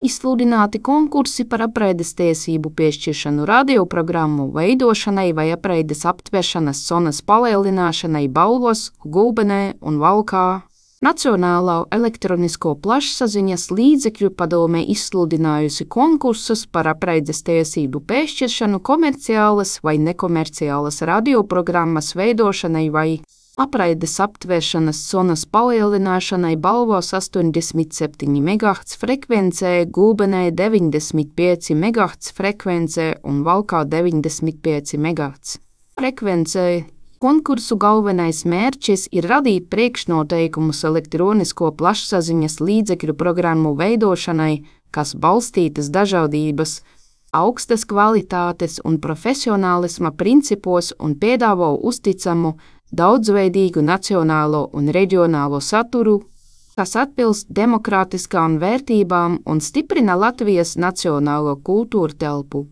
Izsludināti konkursi par apraides tiesību piešķiršanu radioprogrammu veidošanai vai apraides aptveršanas zonas palielināšanai Balvos, Gulbenē un Valkā. Nacionālā elektronisko plašsaziņas līdzekļu padome izsludinājusi konkursus par apraides tiesību piešķiršanu komerciālas vai nekomerciālas radioprogrammas veidošanai vai apraides aptvēršanas zonas palielināšanai Balvos 87 MHz frekvencē, Gulbenē 95 MHz frekvencē un Valkā 95 MHz frekvencē. Konkursu galvenais mērķis ir radīt priekšnoteikumus elektronisko plašsaziņas līdzekļu programmu veidošanai, kas balstītas dažādības, augstas kvalitātes un profesionālisma principos un piedāvā uzticamu, daudzveidīgu nacionālo un reģionālo saturu, kas atbilst demokrātiskām vērtībām un stiprina Latvijas nacionālo kultūru telpu.